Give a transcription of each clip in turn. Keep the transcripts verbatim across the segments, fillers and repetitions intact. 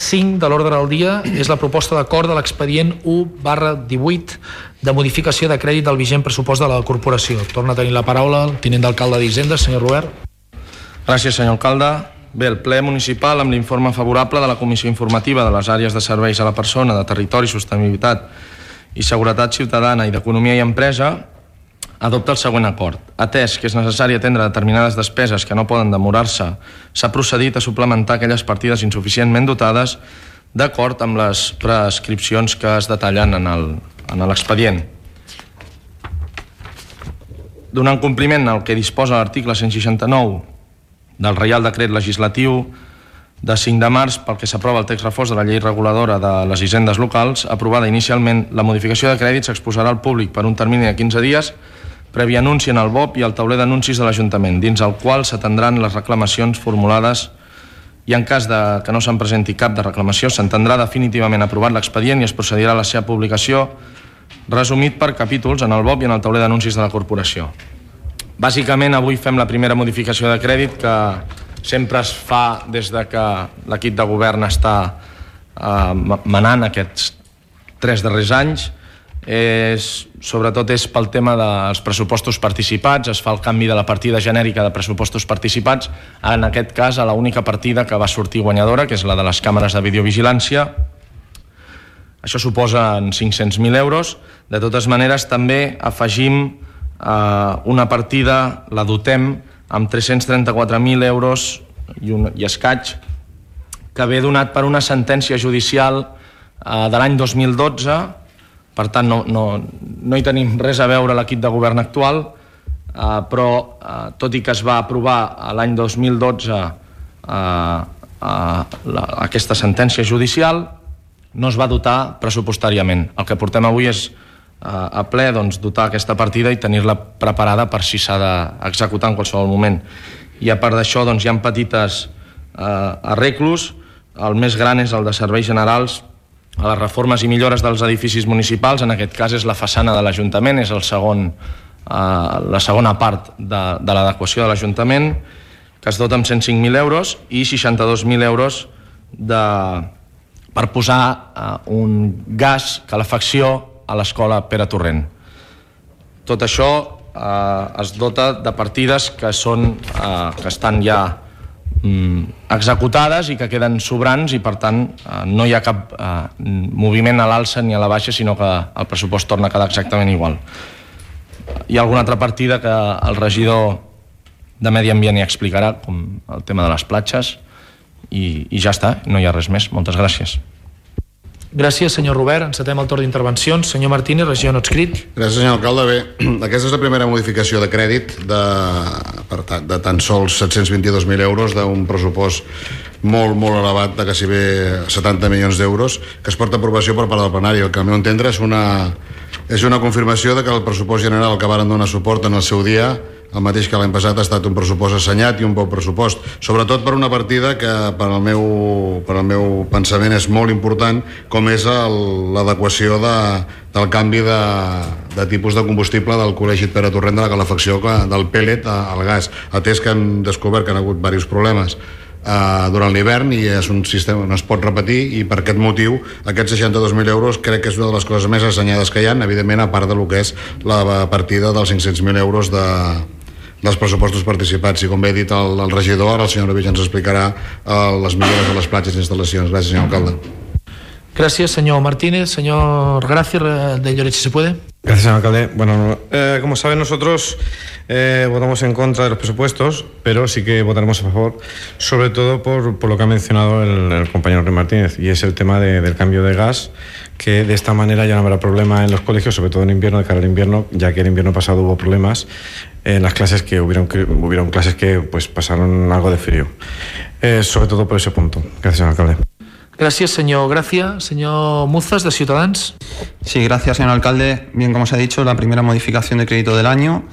cinc de l'ordre del dia és la proposta d'acord de l'expedient u barra divuit de modificació de crèdit del vigent pressupost de la corporació. Torna a tenir la paraula el tinent d'alcalde d'Hisenda, senyor Robert. Gràcies, senyor alcalde. Bé, el ple municipal, amb l'informe favorable de la Comissió Informativa de les àrees de serveis a la persona, de territori, sostenibilitat i seguretat ciutadana i d'economia i empresa, adopta el següent acord. Atès que és necessari atendre determinades despeses que no poden demorar-se, s'ha procedit a suplementar aquelles partides insuficientment dotades d'acord amb les prescripcions que es detallen en l'expedient. Donant compliment al que disposa l'article cent seixanta-nou del Reial Decret Legislatiu de cinc de març, pel que s'aprova el text refós de la llei reguladora de les hisendes locals, aprovada inicialment, la modificació de crèdit s'exposarà al públic per un termini de quinze dies, previ anunci en el B O P i al tauler d'anuncis de l'Ajuntament, dins el qual s'atendran les reclamacions formulades i en cas de que no se'n presenti cap de reclamació s'entendrà definitivament aprovat l'expedient i es procedirà a la seva publicació resumit per capítols en el B O P i en el tauler d'anuncis de la corporació. Bàsicament, avui fem la primera modificació de crèdit que sempre es fa des de que l'equip de govern està eh, manant aquests tres darrers anys. És, sobretot és pel tema dels pressupostos participats, es fa el canvi de la partida genèrica de pressupostos participats, en aquest cas a l'única partida que va sortir guanyadora, que és la de les càmeres de videovigilància. Això suposa cinc-cents mil euros. De totes maneres, també afegim eh, una partida, la dotem amb tres-cents trenta-quatre mil euros i, un, i escaig, que ve donat per una sentència judicial eh, de l'any dos mil dotze. Per tant, no, no, no hi tenim res a veure l'equip de govern actual, eh, però eh, tot i que es va aprovar l'any dos mil dotze eh, eh, la, aquesta sentència judicial, no es va dotar pressupostàriament. El que portem avui és eh, a ple doncs, dotar aquesta partida i tenir-la preparada per si s'ha d'executar en qualsevol moment. I a part d'això doncs, hi ha petites eh, arreglos. El més gran és el de serveis generals a les reformes i millores dels edificis municipals. En aquest cas és la façana de l'Ajuntament, és el segon, eh, la segona part de, de l'adequació de l'Ajuntament, que es dota amb cent cinc mil euros i seixanta-dos mil euros de, per posar eh, un gas calefacció a l'escola Pere Torrent. Tot això eh, es dota de partides que, són, eh, que estan ja executades i que queden sobrants i per tant no hi ha cap eh, moviment a l'alça ni a la baixa, sinó que el pressupost torna a quedar exactament igual. Hi ha alguna altra partida que el regidor de Medi Ambient hi explicarà, com el tema de les platges, i, i ja està, no hi ha res més. Moltes gràcies. Gràcies, senyor Robert. Encetem el torn d'intervencions. Senyor Martínez, regidor no adscrit. Gràcies, senyor alcalde. Bé, aquesta és la primera modificació de crèdit de, per ta, de tan sols set-cents vint-i-dos mil euros d'un pressupost molt, molt elevat de quasi bé setanta milions d'euros que es porta a aprovació per part del plenari. El que al meu entendre és una, és una confirmació de que el pressupost general al que varen donar suport en el seu dia, el mateix que l'any passat, ha estat un pressupost assenyat i un bon pressupost, sobretot per una partida que per al meu, per al meu pensament és molt important, com és l'adequació de, del canvi de, de tipus de combustible del Col·legi Pere Torrent de la calefacció del pèl·let al gas, atès que han descobert que han hagut diversos problemes Uh, durant l'hivern i és un sistema que no es pot repetir, i per aquest motiu aquests seixanta-dos mil euros crec que és una de les coses més assenyades que hi ha, evidentment, a part de lo que és la partida dels cinc-cents mil euros de, dels pressupostos participats. I com bé he dit el, el regidor, ara el senyor Novich ens explicarà uh, les millores de les platges i instal·lacions. Gràcies, senyor alcalde. Gracias, señor Martínez. Señor Gracia, de Lloret, si se puede. Gracias, señor alcalde. Bueno, eh, como saben, nosotros eh, votamos en contra de los presupuestos, pero sí que votaremos a favor, sobre todo por, por lo que ha mencionado el, el compañero Rey Martínez, y es el tema de, del cambio de gas, que de esta manera ya no habrá problema en los colegios, sobre todo en invierno, de cara al invierno, ya que el invierno pasado hubo problemas en las clases, que hubieron, que, hubieron clases que pues pasaron algo de frío. Eh, sobre todo por ese punto. Gracias, señor alcalde. Gracias, señor Gracia. Señor Muzas, de Ciutadans. Sí, gracias, señor alcalde. Bien, como se ha dicho, la primera modificación de crédito del año.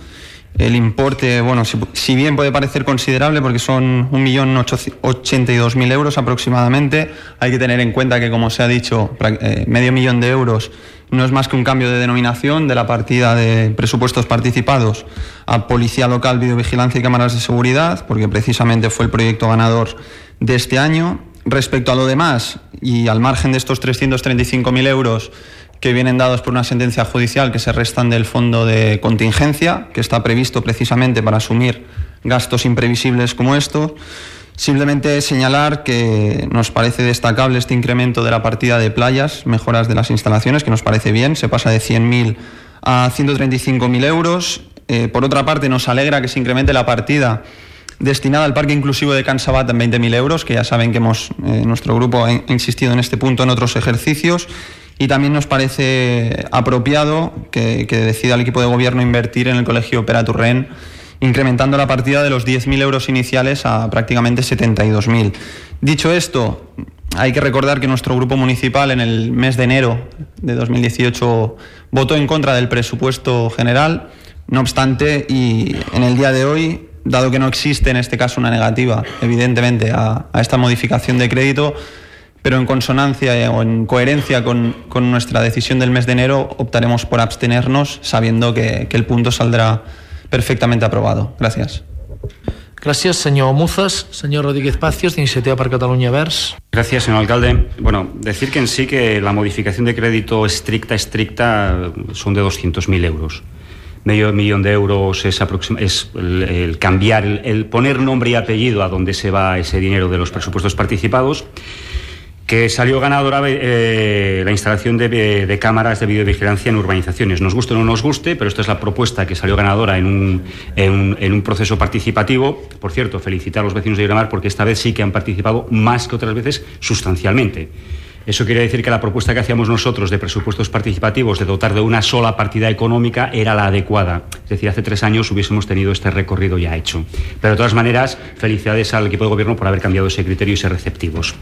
El importe, bueno, si, si bien puede parecer considerable, porque son un millón ochenta y dos mil euros aproximadamente, hay que tener en cuenta que, como se ha dicho, eh, medio millón de euros no es más que un cambio de denominación de la partida de presupuestos participados a Policía Local, Videovigilancia y Cámaras de Seguridad, porque precisamente fue el proyecto ganador de este año. Respecto a lo demás, y al margen de estos trescientos treinta y cinco mil euros que vienen dados por una sentencia judicial que se restan del fondo de contingencia, que está previsto precisamente para asumir gastos imprevisibles como estos, simplemente señalar que nos parece destacable este incremento de la partida de playas, mejoras de las instalaciones, que nos parece bien, se pasa de cien mil a ciento treinta y cinco mil euros. Eh, por otra parte, nos alegra que se incremente la partida destinada al parque inclusivo de Can Sabat en veinte mil euros, que ya saben que hemos, eh, nuestro grupo ha insistido en este punto en otros ejercicios, y también nos parece apropiado que, que decida el equipo de gobierno invertir en el Colegio Pere Torrent, incrementando la partida de los diez mil euros iniciales a prácticamente setenta y dos mil. Dicho esto, hay que recordar que nuestro grupo municipal en el mes de enero de dos mil dieciocho votó en contra del presupuesto general. No obstante, y en el día de hoy, dado que no existe en este caso una negativa, evidentemente, a, a esta modificación de crédito, pero en consonancia o en coherencia con, con nuestra decisión del mes de enero, optaremos por abstenernos, sabiendo que, que el punto saldrá perfectamente aprobado. Gracias. Gracias, señor Muzas. Señor Rodríguez Pacios, de Iniciativa per Catalunya Verds. Gracias, señor alcalde. Bueno, decir que en sí que la modificación de crédito estricta, estricta, son de doscientos mil euros. Medio millón de euros es, es el, el cambiar, el, el poner nombre y apellido a dónde se va ese dinero de los presupuestos participados, que salió ganadora eh, la instalación de, de cámaras de videovigilancia en urbanizaciones. Nos guste o no nos guste, pero esta es la propuesta que salió ganadora en un, en un, en un proceso participativo. Por cierto, felicitar a los vecinos de Miramar porque esta vez sí que han participado más que otras veces sustancialmente. Eso quiere decir que la propuesta que hacíamos nosotros de presupuestos participativos, de dotar de una sola partida económica, era la adecuada. Es decir, hace tres años hubiésemos tenido este recorrido ya hecho. Pero de todas maneras, felicidades al equipo de gobierno por haber cambiado ese criterio y ser receptivos.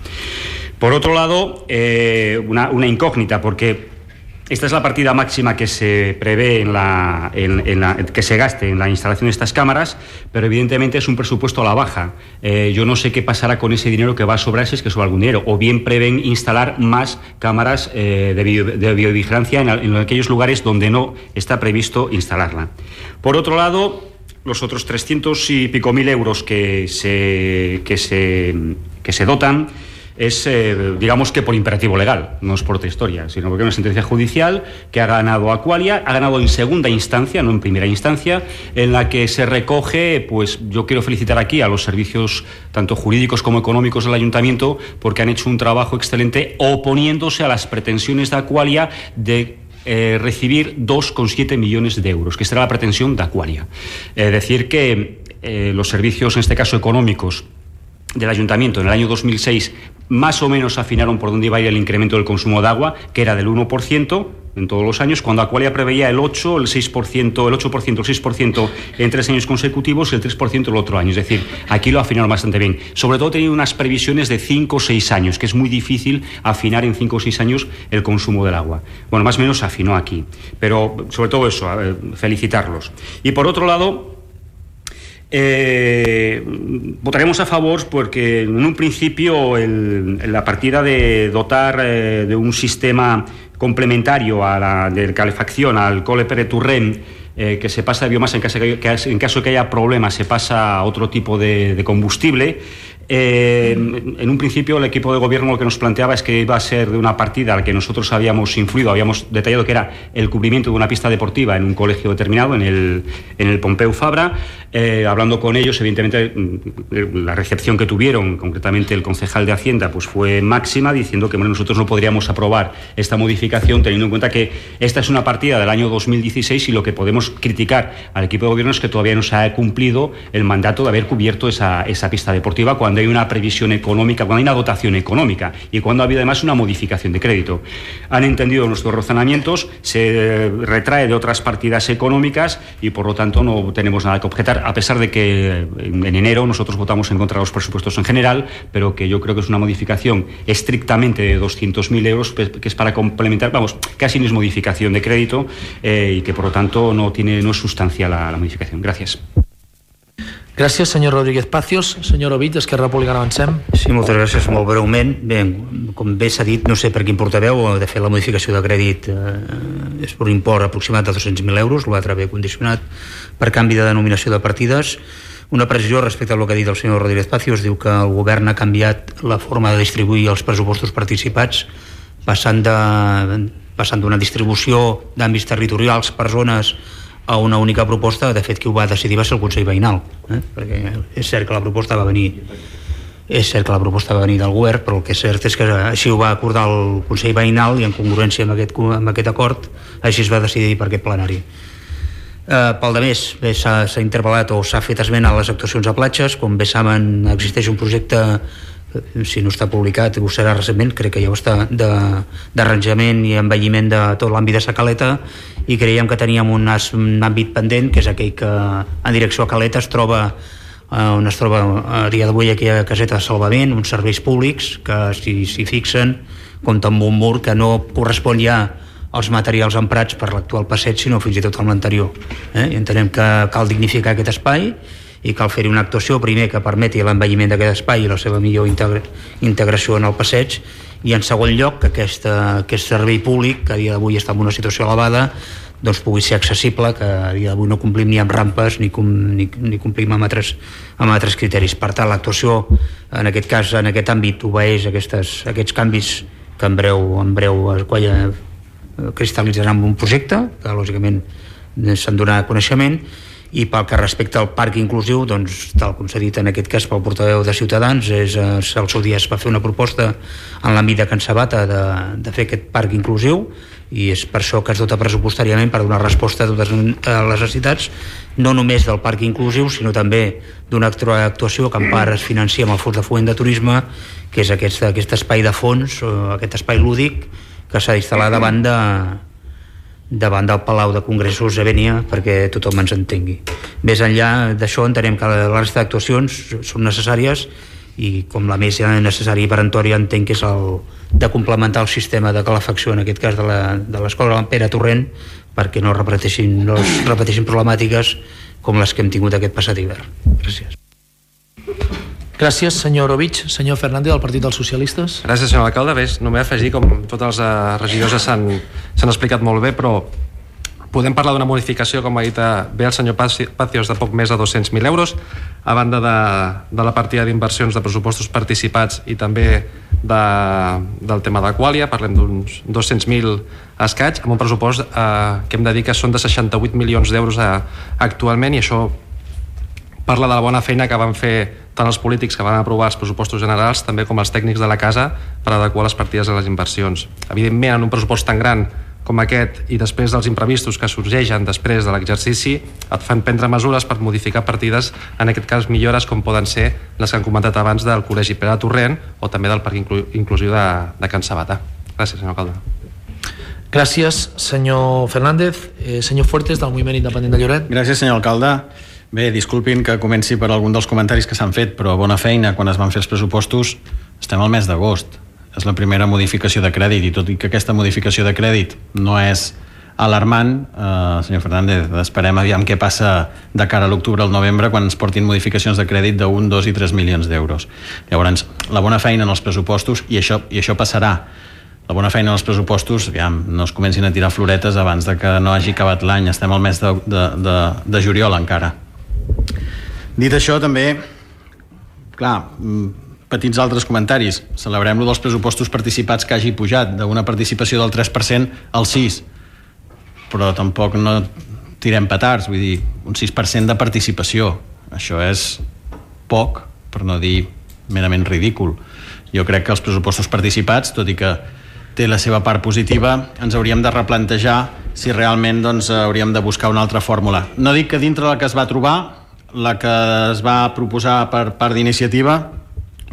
Por otro lado, eh, una, una incógnita, porque esta es la partida máxima que se prevé en la, en, en la, que se gaste en la instalación de estas cámaras, pero evidentemente es un presupuesto a la baja. Eh, yo no sé qué pasará con ese dinero que va a sobrar, si es que sobra algún dinero, o bien prevén instalar más cámaras eh, de, video, de videovigilancia en, en aquellos lugares donde no está previsto instalarla. Por otro lado, los otros trescientos y pico mil euros que se, que se, que se dotan es, eh, digamos que por imperativo legal, no es por otra historia, sino porque es una sentencia judicial que ha ganado Aqualia, ha ganado en segunda instancia, no en primera instancia, en la que se recoge, pues yo quiero felicitar aquí a los servicios tanto jurídicos como económicos del Ayuntamiento, porque han hecho un trabajo excelente oponiéndose a las pretensiones de Aqualia de Eh, recibir dos coma siete millones de euros, que será la pretensión de Aqualia. Es eh, decir que eh, los servicios, en este caso económicos, del Ayuntamiento en el año dos mil seis más o menos afinaron por dónde iba a ir el incremento del consumo de agua, que era del uno por ciento en todos los años, cuando Aqualia preveía el ocho, el seis por ciento, el ocho por ciento, el seis por ciento en tres años consecutivos y el tres por ciento el otro año. Es decir, aquí lo afinaron bastante bien. Sobre todo teniendo unas previsiones de cinco o seis años, que es muy difícil afinar en cinco o seis años el consumo del agua. Bueno, más o menos afinó aquí. Pero sobre todo eso, felicitarlos. Y por otro lado, Eh, votaremos a favor porque en un principio el, la partida de dotar eh, de un sistema complementario a la de calefacción al Cole Pere Torrent, eh, que se pasa de biomasa en caso, que, que, en caso de que haya problemas se pasa a otro tipo de, de combustible. Eh, en un principio el equipo de gobierno lo que nos planteaba es que iba a ser de una partida a la que nosotros habíamos influido, habíamos detallado que era el cubrimiento de una pista deportiva en un colegio determinado, en el, en el Pompeu Fabra. Eh, hablando con ellos, evidentemente la recepción que tuvieron, concretamente el concejal de Hacienda, pues fue máxima, diciendo que bueno, nosotros no podríamos aprobar esta modificación teniendo en cuenta que esta es una partida del año dos mil dieciséis y lo que podemos criticar al equipo de gobierno es que todavía no se ha cumplido el mandato de haber cubierto esa, esa pista deportiva cuando hay una previsión económica, cuando hay una dotación económica y cuando ha habido además una modificación de crédito. Han entendido nuestros razonamientos, se retrae de otras partidas económicas y por lo tanto no tenemos nada que objetar, a pesar de que en enero nosotros votamos en contra de los presupuestos en general, pero que yo creo que es una modificación estrictamente de doscientos mil euros, que es para complementar, vamos, casi no es modificación de crédito eh, y que por lo tanto no tiene no es sustancial la, la modificación. Gracias. Gràcies, senyor Rodríguez Pacios. Senyor Ovit, d'Esquerra Republicana, avancem. Sí, moltes gràcies, molt breument. Bé, com bé s'ha dit, no sé per quin portaveu, de fet la modificació de crèdit eh, és per un import aproximat de dos-cents mil euros, l'altre ve condicionat per canvi de denominació de partides. Una precisió respecte al que ha dit el senyor Rodríguez Pacios. Diu que el govern ha canviat la forma de distribuir els pressupostos participats, passant de passant d'una distribució d'àmbits territorials per zones a una única proposta. De fet, qui ho va decidir va ser el Consell Veïnal, eh? perquè és cert que la proposta va venir és cert que la proposta va venir del govern, però el que és cert és que així ho va acordar el Consell Veïnal i en congruència amb aquest, amb aquest acord així es va decidir per aquest plenari. Eh, pel de més, s'ha interpel·lat o s'ha fet esment a les actuacions a platges. Com bé saben, existeix un projecte, si no està publicat, ho serà recentment, crec que ja ho està, d'arranjament i envelliment de tot l'àmbit de Sa Caleta, i creiem que teníem un, un àmbit pendent, que és aquell que en direcció a Caleta es troba on es troba a dia d'avui aquella caseta de salvament, uns serveis públics que s'hi si, fixen, compta amb un mur que no correspon ja als materials emprats per l'actual passeig, sinó fins i tot amb l'anterior. Eh? I entenem que cal dignificar aquest espai i cal fer-hi una actuació, primer, que permeti l'envelliment d'aquest espai i la seva millor integra integració en el passeig, i en segon lloc que aquesta, aquest servei públic, que a dia d'avui està en una situació elevada, doncs pugui ser accessible, que a dia d'avui no complim ni amb rampes ni, com, ni, ni complim amb altres, amb altres criteris. Per tant, l'actuació en aquest cas, en aquest àmbit, obeeix aquestes, aquests canvis que en breu, en breu es cristal·litzaran en un projecte que lògicament se'n donarà coneixement. I pel que respecta al parc inclusiu, doncs, tal com s'ha dit en aquest cas pel portaveu de Ciutadans, és, al seu dia es va fer una proposta en l'àmbit de Can Sabata de, de fer aquest parc inclusiu, i és per això que es dota pressupostàriament per donar resposta a totes les necessitats, no només del parc inclusiu, sinó també d'una actuació que en part es financia amb el Fons de Foment de Turisme, que és aquest, aquest espai de fons, aquest espai lúdic que s'ha d'instal·lar davant de davant del Palau de Congressos de Bénia, perquè tothom ens entengui. Més enllà d'això, entenem que la resta d'actuacions són necessàries, i com la més necessària i peremptòria entenc que és el de complementar el sistema de calefacció, en aquest cas de l'escola Pere Torrent, perquè no repeteixin, no es repeteixin problemàtiques com les que hem tingut aquest passat hivern. Gràcies. Gràcies, senyor Orovich. Senyor Fernández, del Partit dels Socialistes. Gràcies, senyor alcalde. Bé, només afegir, com tots els regidors s'han explicat molt bé, però podem parlar d'una modificació, com ha dit bé el senyor Pacios, de poc més de dos-cents mil euros, a banda de, de la partida d'inversions de pressupostos participats i també de, del tema d'Aquàlia. Parlem d'uns dos-cents mil escaig, amb un pressupost eh, que hem de dir que són de seixanta-vuit milions d'euros eh, actualment, i això parla de la bona feina que van fer tant els polítics que van aprovar els pressupostos generals, també com els tècnics de la casa, per adequar les partides a les inversions. Evidentment, en un pressupost tan gran com aquest, i després dels imprevistos que sorgeixen després de l'exercici, et fan prendre mesures per modificar partides, en aquest cas millores com poden ser les que han comentat abans del Col·legi Pere Torrent o també del Parc Inclu Inclusiu de, de Can Sabata. Gràcies, senyor alcalde. Gràcies, senyor Fernández. Eh, senyor Fuertes, del Moviment Independent de Lloret. Gràcies, senyor alcalde. Bé, disculpin que comenci per algun dels comentaris que s'han fet, però bona feina. Quan es van fer els pressupostos estem al mes d'agost. És la primera modificació de crèdit, i tot i que aquesta modificació de crèdit no és alarmant, eh, senyor Fernández, esperem aviam què passa de cara a l'octubre al novembre, quan ens portin modificacions de crèdit d'un, dos i tres milions d'euros. Llavors, la bona feina en els pressupostos, i això, i això passarà, la bona feina en els pressupostos, aviam, no es comencin a tirar floretes abans de que no hagi acabat l'any. Estem al mes de, de, de, de juliol encara. Dit això, també, clar, petits altres comentaris. Celebrem-lo dels pressupostos participats que hagi pujat d'una participació del tres per cent al sis per cent, però tampoc no tirem petards, vull dir, un sis per cent de participació. Això és poc, per no dir merament ridícul. Jo crec que els pressupostos participats, tot i que té la seva part positiva, ens hauríem de replantejar si realment doncs, hauríem de buscar una altra fórmula. No dic que dintre la que es va trobar, la que es va proposar per part d'iniciativa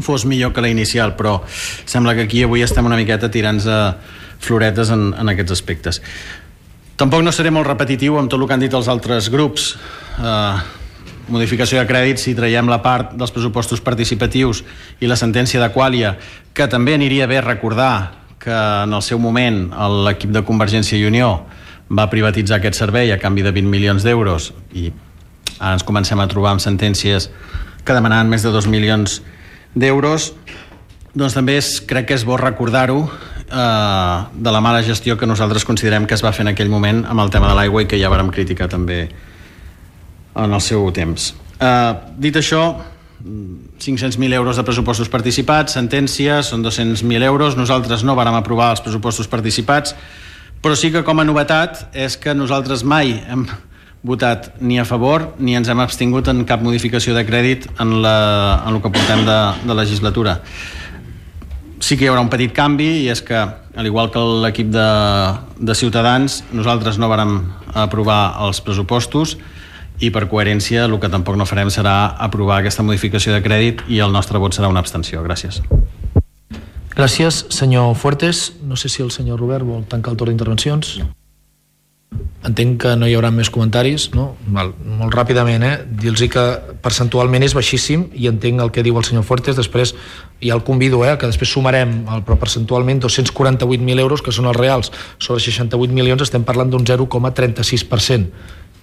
fos millor que la inicial, però sembla que aquí avui estem una miqueta tirant-nos floretes en, en aquests aspectes. Tampoc no seré molt repetitiu amb tot el que han dit els altres grups. Eh, modificació de crèdit, si traiem la part dels pressupostos participatius i la sentència d'Aquàlia, que també aniria bé recordar que en el seu moment l'equip de Convergència i Unió va privatitzar aquest servei a canvi de vint milions d'euros, i ara ens comencem a trobar amb sentències que demanaven més de dos milions d'euros. Doncs també és, crec que és bo recordar-ho, eh, de la mala gestió que nosaltres considerem que es va fer en aquell moment amb el tema de l'aigua, i que ja vàrem criticar també en el seu temps. Uh, dit això, cinc-cents mil euros de pressupostos participats, sentència, són dos-cents mil euros. Nosaltres no vàrem aprovar els pressupostos participats, però sí que com a novetat és que nosaltres mai hem votat ni a favor ni ens hem abstingut en cap modificació de crèdit en, la, en el que portem de, de legislatura. Sí que hi haurà un petit canvi, i és que, al igual que l'equip de, de Ciutadans, nosaltres no vàrem aprovar els pressupostos, i per coherència el que tampoc no farem serà aprovar aquesta modificació de crèdit, i el nostre vot serà una abstenció. Gràcies. Gràcies, senyor Fuertes. No sé si el senyor Robert vol tancar el torn d'intervencions. Entenc que no hi haurà més comentaris, no? Val, molt ràpidament, eh? Dir-los que percentualment és baixíssim, i entenc el que diu el senyor Fuertes. Després ja el convido, eh, que després sumarem, el, però percentualment dos-cents quaranta-vuit mil euros, que són els reals, sobre seixanta-vuit milions, estem parlant d'un zero coma trenta-sis per cent.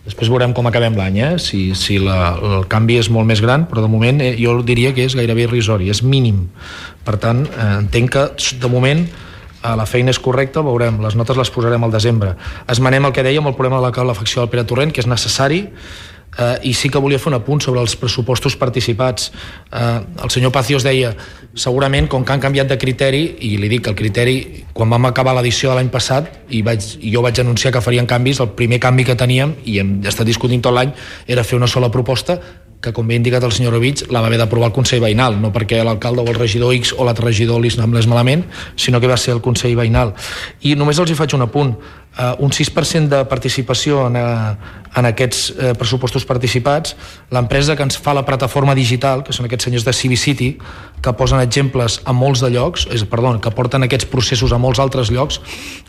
Després veurem com acabem l'any, eh? si, si la, el canvi és molt més gran, però de moment eh, jo diria que és gairebé irrisori, és mínim. Per tant, eh, entenc que de moment eh, la feina és correcta, veurem, les notes les posarem al desembre. Esmenem el que dèiem, el problema de la calefacció del Pere Torrent, que és necessari, eh, i sí que volia fer un apunt sobre els pressupostos participats. Eh, el senyor Pacios deia, segurament, com que han canviat de criteri, i li dic que el criteri, quan vam acabar l'edició de l'any passat, i, vaig, i jo vaig anunciar que farien canvis, el primer canvi que teníem, i hem estat discutint tot l'any, era fer una sola proposta, que com bé ha indicat el senyor Rovich, la va haver d'aprovar el Consell Veïnal, no perquè l'alcalde o el regidor X o l'altre regidor li semblés malament, sinó que va ser el Consell Veïnal. I només els hi faig un apunt. Uh, un sis per cent de participació en, uh, en aquests uh, pressupostos participats. L'empresa que ens fa la plataforma digital, que són aquests senyors de Civicity, que posen exemples a molts de llocs, és, perdó, que porten aquests processos a molts altres llocs,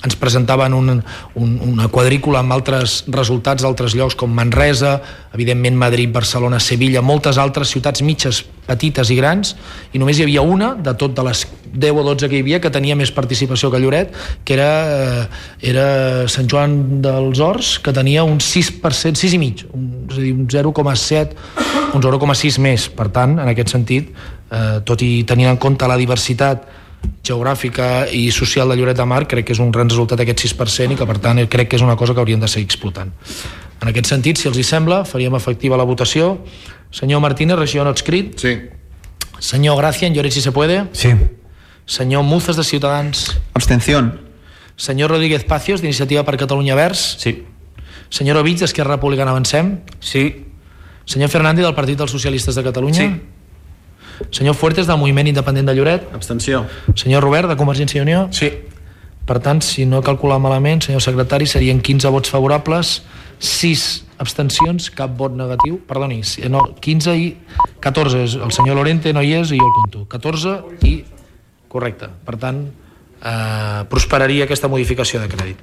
ens presentaven un, un, una quadrícula amb altres resultats d'altres llocs, com Manresa, evidentment Madrid, Barcelona, Sevilla, moltes altres ciutats mitges, petites i grans, i només hi havia una, de tot de les deu o dotze que hi havia, que tenia més participació que Lloret, que era, era Sant Joan dels Horts, que tenia un sis per cent, sis i mig, un, és a dir, un zero coma set, un zero coma sis més. Per tant, en aquest sentit, eh, tot i tenint en compte la diversitat geogràfica i social de Lloret de Mar, crec que és un gran resultat aquest sis per cent, i que per tant crec que és una cosa que hauríem de seguir explotant. En aquest sentit, si els hi sembla, faríem efectiva la votació. Senyor Martínez, regidor no adscrit. Sí. Senyor Gracia, en Lloret si se puede. Sí. Senyor Muzas, de Ciutadans. Abstención. Senyor Rodríguez Pacios, d'Iniciativa per Catalunya Verds. Sí. Senyor Ovich, d'Esquerra Republicana Avancem. Sí. Senyor Fernández, del Partit dels Socialistes de Catalunya. Sí. Senyor Fuertes, del Moviment Independent de Lloret. Abstenció. Senyor Robert, de Convergència i Unió. Sí. Per tant, si no he calculat malament, senyor secretari, serien quinze vots favorables, sis abstencions, cap vot negatiu. Perdoni, no, quinze i catorze. El senyor Lorente no hi és i jo el compto. catorze i... Correcte. Per tant, eh, prosperaria aquesta modificació de crèdit.